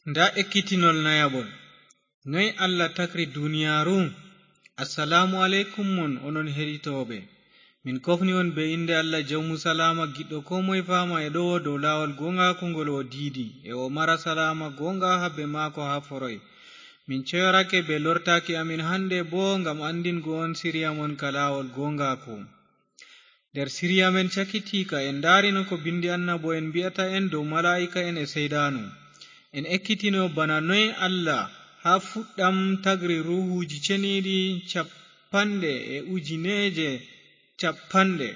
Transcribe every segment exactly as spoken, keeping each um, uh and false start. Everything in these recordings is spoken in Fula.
Nda ekkitinol nayaɓol. Noy Allah takri duniyaaru? Assalaamu aleykum mon, onon heɗitooɓe. Min kofni on be innde Allah jawmu salaama, giɗɗo koo moye faama e ɗowo dow laawol gooŋgaaku ngol o diidi, e o mara salaama gooŋga haa be maako haa foroy. Min coyorake be lortaaki amin hande boo ngam anndingo on siriya mon ka laawol gooŋgaaku. Nder siriya men cakitiika, en ndaarino ko bindi annabo'en mbi'ata en dow malaa'ika'en e seyɗaanu. En ekkitino bana noy Allah haa fuɗɗam tagri ruuhuuji ceniiɗi cappanɗe e ujineeje cappanɗe.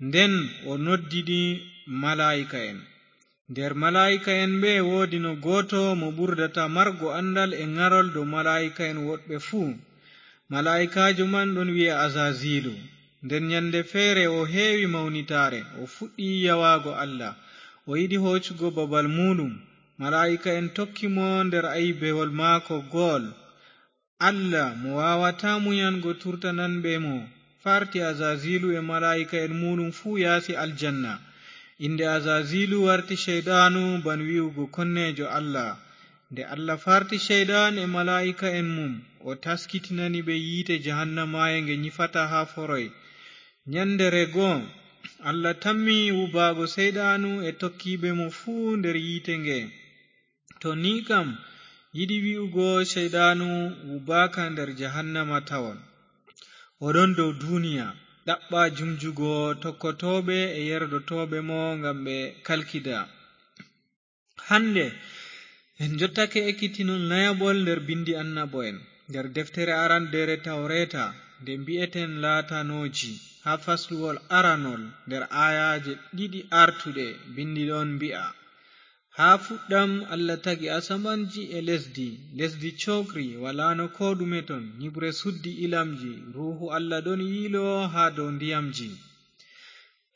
Nden o noddi ɗi malaa'ika'en. Nder malaa'ika'en ɓe woodino gooto mo ɓurdata margo anndal e ŋarol dow malaa'ika'en woɗɓe fuu. Malaa'ikaajo man ɗon wi'a Azaziilu. Nden nyannde feere o heewi mawnitaare, o fuɗɗi yawaago Allah. O yiɗi hoocugo babal muuɗum. Malaa'ika'en tokki mo nder ayibewol maako gool. Allah mo waawataa munyango turtananɓe mo, farti Azaziilu e malaa'ika'en muuɗum fuu yaasi aljanna. Innde Azaziilu warti Ceyɗaanu, ban wi'ugo konneejo Allah. Nde Allah farti Ceyɗaan e malaa'ika'en mum, o taskitinani ɓe yiite jahannamaaye nge nyifata haa foroy. Nyannde rego, Allah tammi wubaago Seyɗaanu e tokkiiɓe mo fuu nder yiite nge. To ni kam, yiɗi wi'ugo Seyɗaanu wubaaka nder jahannama tawon. O ɗon dow duniya, ɗaɓɓa jumjugo tokkotooɓe e yerdotooɓe mo ngam ɓe kalkida. Hande, en jottake ekkitinol nayaɓol nder bindi annabo'en, nder deftere arandeere Tawreeta, nde mbi'eten laatanooji, haa fasluwol aranol nder aayaaje ɗiɗi artuɗe, bindi ɗon mbi'a, haa fuɗɗam Allah tagi asamanji e lesdi, lesdi cookri, walaano koo ɗume ton, nyiɓre suddi ilamji, Ruuhu Allah ɗon yiilo haa dow ndiyamji.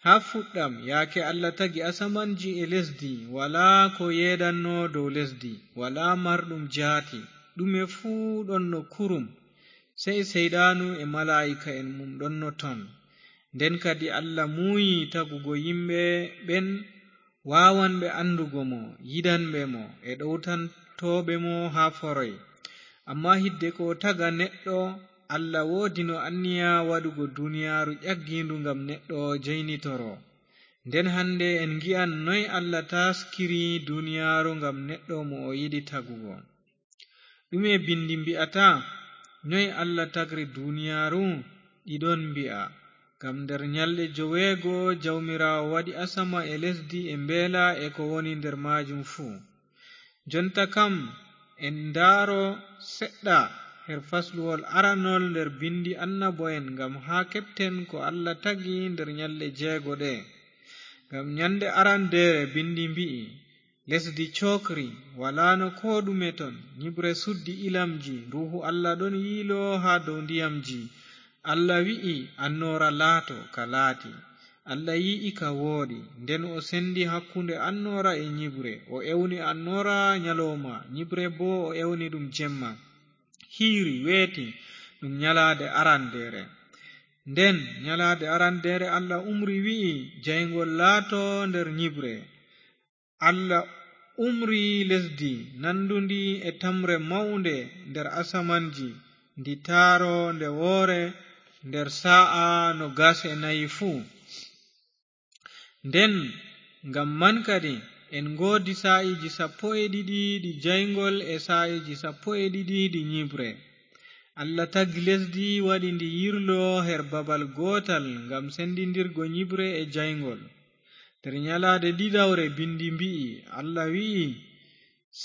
Haa fuɗɗam, yaake Allah tagi asamanji e lesdi, walaa ko yeeɗanno dow lesdi, walaa marɗum jaati, ɗume fuu ɗonno kurum, sey Seyɗaanu e malaa'ika'en mum ɗonno ton. Nden kadi Allah muuyi tagugo yimɓe ɓen waawanɓe anndugo mo, yiɗanɓe mo, e ɗowtantooɓe mo haa foroy. Ammaa hidde ko o taga neɗɗo, Allah woodino anniya waɗugo duniyaaru ƴaggiindu ngam neɗɗo jaynitoro. Nden hande en ngi'an noy Allah taaskiri duniyaaru ngam neɗɗo mo o yiɗi tagugo. Ɗume bindi mbi'ata? Noy Allah tagri duniyaaru? Ɗi ɗon mbi'a, ngam nder nyalɗe joweego Jawmiraawo waɗi asama e lesdi e mbeela e ko woni nder maajum fuu. Jonta kam, en ndaaro seɗɗa her fasluwol aranol nder bindi annabo'en, ngam haa keɓten ko Allah tagi nder nyalɗe jeego ɗe. Ngam nyande arandeere bindi mbi'i, lesdi cookri, walaano koo ɗume ton, nyiɓre suddi ilamji, Ruuhu Allah ɗon yiilo haa dow ndiyamji. Allah wi'i, "Annoora laato," ka laati. Allah yi'i ka wooɗi, nden o sendi hakkunde annoora e nyiɓre, o ewni annoora nyalooma, nyiɓre boo o ewni ɗum jemma. Hiiri, weeti, ɗum nyalaade arandeere. Nden nyalaade arandeere Allah umri wi'i, "Jayngol laato nder nyiɓre." Allah umri lesdi nandundi e tamre mawnde nder asamanji, ndi taaro nde woore nder saa'a noogas e nayi fuu. Nden ngam man kadi en ngoodi saa'iiji sappo e ɗiɗi ɗi jayngol e saa'iiji sappo e ɗiɗi ɗi nyiɓre. Allah tagi lesdi, waɗi ndi yirlo her babal gootal ngam sendindirgo nyiɓre e jayngol. Nder nyalaade ɗiɗawre bindi mbi'i, Allah wi'i,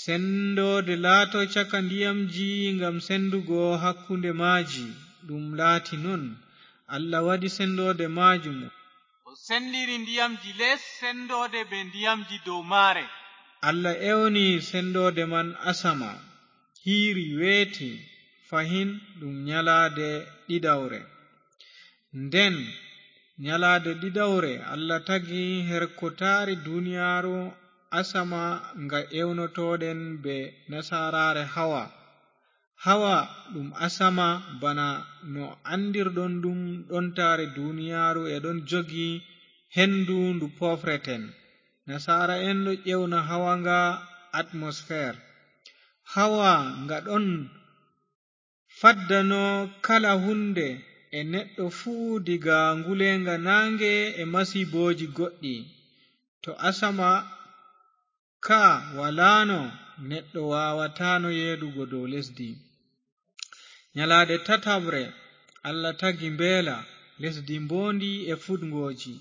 "Sendoode laato caka ndiyamji ngam sendugo hakkunde maaji." Ɗum laati non. Allah waɗi sendoode maajum. O sendiri ndiyamji les sendoode be ndiyamji dow maare. Allah ewni sendoode man asama. Hiiri weeti, fahin ɗum nyalaade ɗiɗawre. Nden nyalaade ɗiɗawre, Allah tagi her ko taari duniyaaru asama nga ewnotooɗen be nasaaraare Hawa. Hawa ɗum asama bana no anndirɗon ɗum ɗon taari duniyaaru e ɗon jogi hendu ndu pofreten. Nasaara'en ɗo ewna Hawa nga atmosfeer. Hawa nga ɗon faddanoo kala huunde e neɗɗo fuu diga nguleenga naange e masiibooji goɗɗi. To asama ka walaano, neɗɗo waawataano yeedugo dow lesdi. Nyalaade tataɓre, Allah tagi mbeela, lesdi mboondi e fuɗngooji.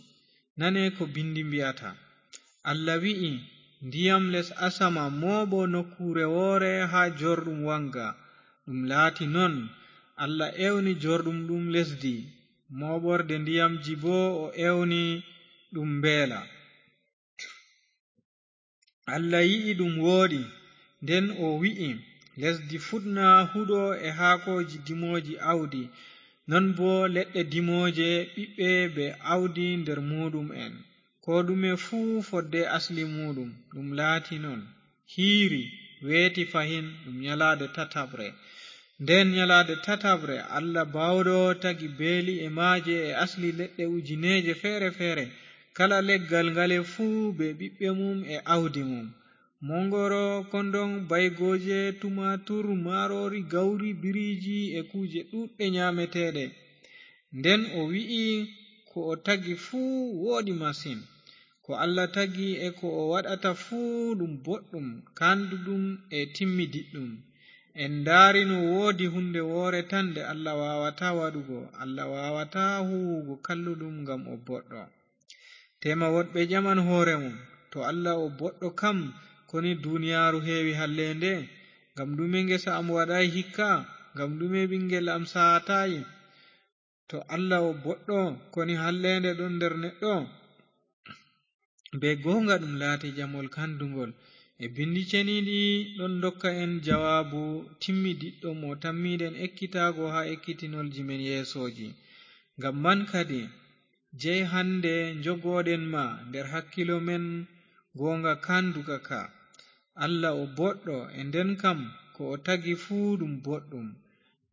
Nane ko binndi mbi'ata. Allah wi'i, "Ndiyam les asama mooɓo nokkuure woore haa jorɗum waŋga." Ɗum laati non. Allah ewni jorɗum ɗum lesdi, mooɓorde ndiyamji boo o ewni ɗum mbeela. Allah yi'i ɗum wooɗi, nden o wi'i, "Lesdi fuɗna huɗo e haakooji dimooji awdi, non boo leɗɗe dimooje ɓiɓɓe bee awdi nder muuɗum'en, koo ɗume fuu fodde asli muuɗum." Ɗum laati non. Hiiri, weeti fahin, ɗum nyalaade tataɓre. Nden nyalaade tataɓre, Allah Baawɗo tagi beeli e maaje e asli leɗɗe ujineeje feere-feere, kala leggal ngale fuu bee ɓiɓɓe mum e awdi mum. Moŋgoro, kondoŋ, baygooje, tumaatur, maaroori, gawri, biriiji e kuuje ɗuuɗɗe nyaameteeɗe. Nden o wi'i, "Ko o tagi fuu wooɗi masin." Ko Allah tagi e ko o waɗata fuu ɗum boɗɗum, kaanduɗum e timmidiɗɗum. En ndaari no woodi huunde woore tan nde Allah waawataa waɗugo. Allah waawataa huuwugo kalluɗum ngam o boɗɗo. Teema woɗɓe ƴaman hoore mum, "To Allah o boɗɗo kam, koni duniyaaru heewi halleende? Ngam ɗume ngesa am waɗaay hikka? Ngam ɗume ɓiŋngel am saataay?" To Allah o boɗɗo, koni halleende ɗon nder neɗɗo? Bee gooŋga ɗum laati jamol kandugol. E binndi ceniiɗi ɗon ndokka en jawaabu timmidiɗɗo mo tammiiɗen ekkitaago haa ekkitinolji men yeesooji. Ngam man kadi, jey hannde njogooɗen ma nder hakkilo men gooŋga kanduka ka. Allah o boɗɗo, e nden kam ko o tagi fuu ɗum boɗɗum.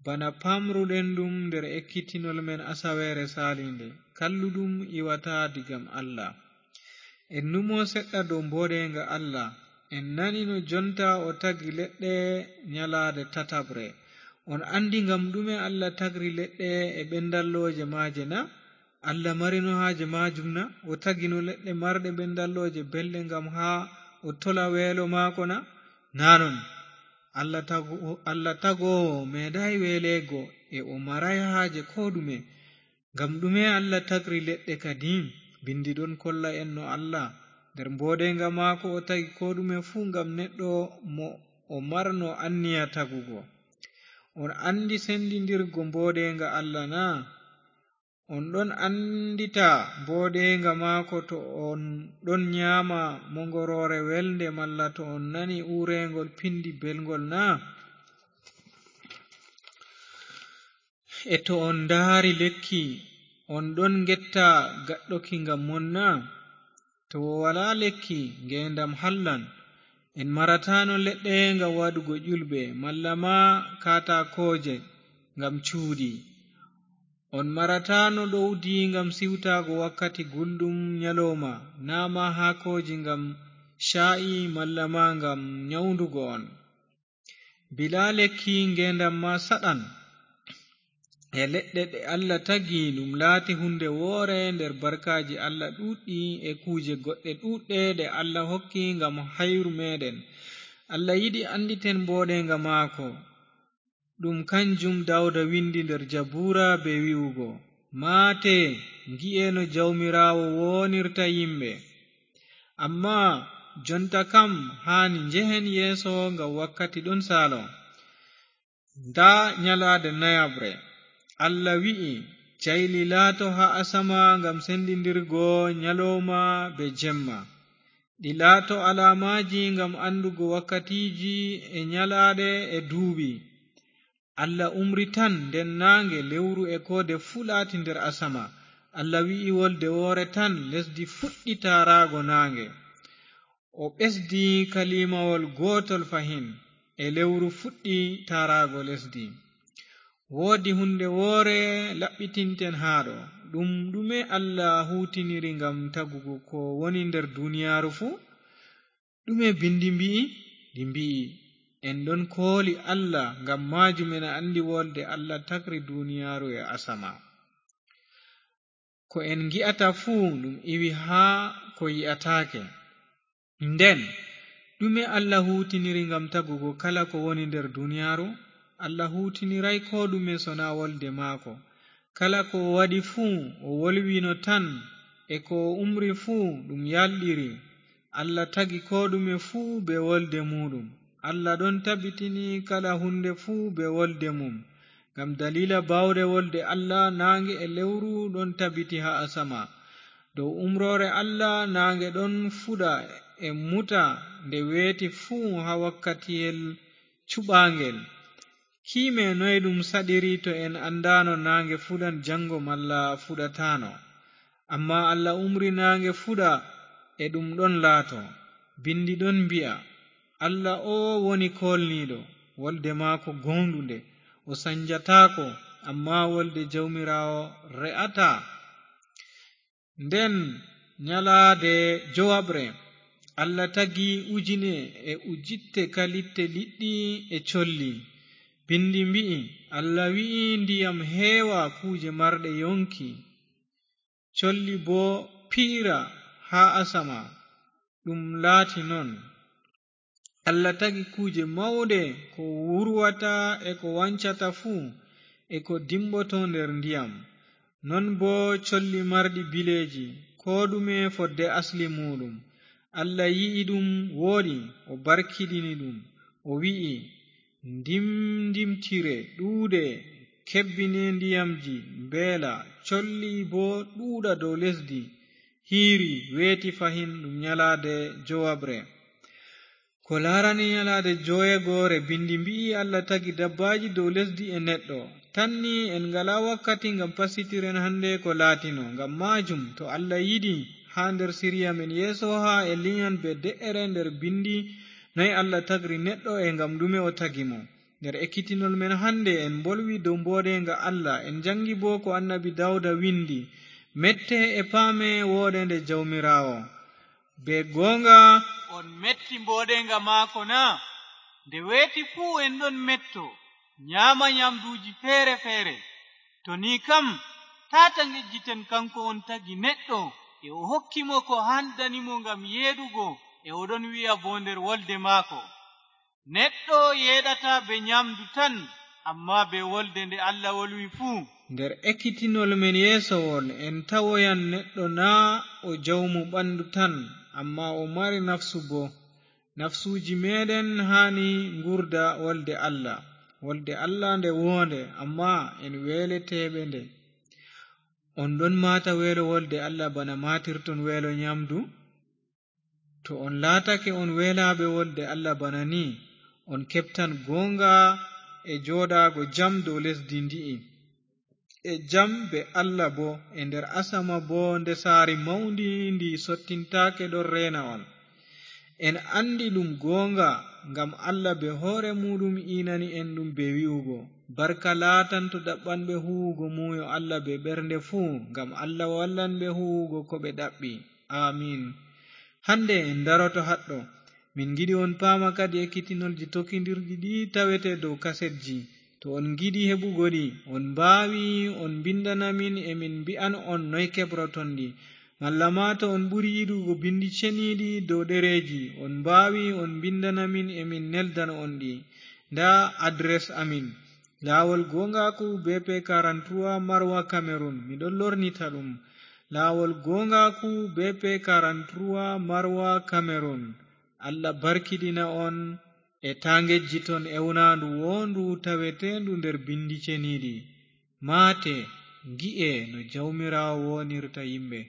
Bana pamruɗen ɗum nder ekkitinol men asaweere saaliinde, kalluɗum iwata digam Allah. En numo seɗɗa dow mbooɗeeŋga Allah. En nani no jonta o tagi leɗɗe nyalaade tataɓre. On anndi ngam ɗume Allah tagri leɗɗe e ɓendallooje maaje na? Allah marino haaje maajum na? O tagino leɗɗe marɗe ɓendallooje belɗe ngam haa o tola weelo maako na? Naa non. Allah tago-, Allah tagoowo meeɗaay weeleego e o maraay haaje koo ɗume. Ngam ɗume Allah tagri leɗɗe kadi? Binndi ɗon kolla en no Allah, nder mbooɗeeŋga maako o tagi koo ɗume fuu ngam neɗɗo mo o marno anniya tagugo. On anndi sendindirgo mbooɗeeŋga Allah na? On ɗon anndita mbooɗeeŋga maako to on ɗon nyaama moŋgoroore welnde malla to on nani uureeŋgol pinndi belŋgol na? E to on ndaari lekki, on ɗon ngetta gaɗɗoki ngam mon na? To o walaa lekki, ngeendam hallan. En marataano leɗɗe ngam waɗugo ƴulɓe, malla ma kaataakooje ngam cuuɗi. On marataano ɗowdi ngam siwtaago wakkati gulɗum nyalooma, naa ma haakooji ngam caa'i, malla ma ngam nyawndugo on. Bilaa lekki, ngeendam ma saɗan. E leɗɗe ɗe Allah tagi, ɗum laati huunde woore nder barkaaji Allah ɗuuɗɗi e kuuje goɗɗe ɗuuɗɗe ɗe Allah hokki ngam hayru meeɗen. Allah yiɗi annditen mbooɗeeŋga maako. Ɗum kanjum Dawda windi nder Jabuura bee wi'ugo, "Maate, ngi'e no Jawmiraawo woonirta yimɓe." Ammaa jonta kam haani njehen yeeso ngam wakkati ɗon saalo. Ndaa nyalaade nayaɓre. Allah wi'i, "Jayli laato haa asama ngam sendindirgo nyalooma bee jemma. Ɗi laato alaamaaji ngam anndugo wakkatiiji e nyalaaɗe e duuɓi." Allah umri tan, nden naaŋge, lewru e koode fuu laati nder asama. Allah wi'i wolde woore tan, lesdi fuɗɗi taaraago naaŋge. O ɓesdi kalimawol gootol fahin, e lewru fuɗɗi taaraago lesdi. Woodi huunde woore laɓɓitinten haa ɗo. Ɗum ɗume Allah huuwtiniri ngam tagugo ko woni nder duniyaaru fuu? Ɗume binndi mbi'i? Ndi mbi'i, En ɗon kooli Allah, ngam maajum en anndi wolde Allah tagri duniyaaru e asama. Ko en ngi'ata fuu ɗum iwi haa ko yi'ataake. Nden, ɗume Allah huutiniri ngam tagugo kala ko woni nder duniyaaru? Allah huutiniraay koo ɗume sonaa wolde maako. Kala ko o waɗi fuu, o wolwino tan, e ko o umri fuu, ɗum yalɗiri. Allah tagi koo ɗume fuu bee wolde muuɗum. Allah ɗon tabitini kala huunde fuu bee wolde mum. Ngam daliila baawɗe wolde Allah, naange e lewru ɗon tabiti haa asama. Dow umroore Allah, naange ɗon fuɗa e muta nde weeti fuu haa wakkatiyel cuɓaangel. Kiime noy ɗum saɗiri to en anndaano naange fuɗan janngo malla fuɗataano? Ammaa Allah umri naange fuɗa, e ɗum ɗon laato. Binndi ɗon mbi'a, "Allah o woni koolniiɗo, wolde maako gooŋɗunde, o sanjataako, ammaa wolde Jawmiraawo re'ataa." Nden nyalaade jowaɓre, Allah tagi ujine e ujitte kalitte liɗɗi e colli. Binndi mbi'i, "Allah wi'i ndiyam heewa kuuje marɗe yonki, colli boo piira haa asama." Ɗum laati non. Allah tagi kuuje mawɗe, ko wurwata e ko wancata fuu, e ko dimboto nder ndiyam. Non boo colli marɗi bileeji, koo ɗume fodde asli muuɗum. Allah yi'i ɗum wooɗi, o barkiɗini ɗum, o wi'i, "Ndimndimtire, ɗuuɗe, kebbine ndiyamji, mbeela, colli boo ɗuuɗa dow lesdi." Hiiri, weeti fahin, ɗum nyalaade jowaɓre. Ko laarani nyalaade joweegoore, binndi mbi'i Allah tagi dabbaaji dow lesdi e neɗɗo. Tan ni en ngalaa wakkati ngam passitiren hannde ko laatino. Ngam maajum, to Allah yiɗi, haa nder siriya men yeeso haa en linyan bee de'ere nder binndi noy Allah tagri neɗɗo e ngam ɗume o tagi mo. Nder ekkitinol men hannde, en mbolwi dow mboodeenga Allah, en janngi boo ko annabi Dawda windi, "Mette e paame wooɗeende Jawmiraawo." Bee gooŋga, on metti mboodeenga maako na? Nde weeti fuu en ɗon metto, nyaama nyamduuji feere-feere. To ni kam, taata ngejjiten kanko on tagi neɗɗo, e o hokki mo ko handani mo ngam yeeɗugo, e o ɗon wi'a boo nder wolde maako, "Neɗɗo yeeɗataa bee nyamdu tan, ammaa bee wolde nde Allah wolwi fuu." Nder ekkitinol men yeeso won, en tawoyan neɗɗo naa o jawmu ɓandu tan, ammaa o mari nafsu boo. Nafsuuji meɗen haani ngurda wolde Allah. Wolde Allah nde woonde, ammaa en weeleteeɓe nde. On ɗon maata weelo wolde Allah bana maatirton weelo nyamdu? To on laatake on weelaaɓe wolde Allah bana ni, on keɓtan gooŋga e jooɗaago jam dow lesdi ndi'i, e jam bee Allah boo, e nder asama boo ndesaari mawndi ndi sottintaake ɗon reena on. En anndi ɗum gooŋga, ngam Allah bee hoore muuɗum iinani en ɗum bee wi'ugo, "Barka laatanto ɗaɓɓanɓe huuwugo muuyo Allah bee ɓernde fuu, ngam Allah wallan ɓe huuwugo ko ɓe ɗaɓɓi." Aamiin. Hannde en daroto haɗɗo. Min ngiɗi on paama kadi ekkitinolji tokkindirɗi ɗi tawete dow kasetji. To on ngiɗi heɓugo ɗi, on mbaawi on mbinndana min, e min mbi'an on noy keɓroton ɗi. Malla ma to on ɓuri yiɗugo binndi ceniiɗi dow ɗereeji, on mbaawi on mbinndana min, e min neldana on ɗi. Ndaa adres amin. Laawol gooŋgaaku, B P quarante-trois, Maroua, Cameroun. Miɗo lornita ɗum. Laawol gooŋgaaku, B P quarante-trois, Maroua, Cameroun. Allah barkiɗina on, e taa ngejjiton ewnaandu woondu taweteendu nder binndi ceniiɗi. Maate, ngi'e no Jawmiraawo woonirta yimɓe.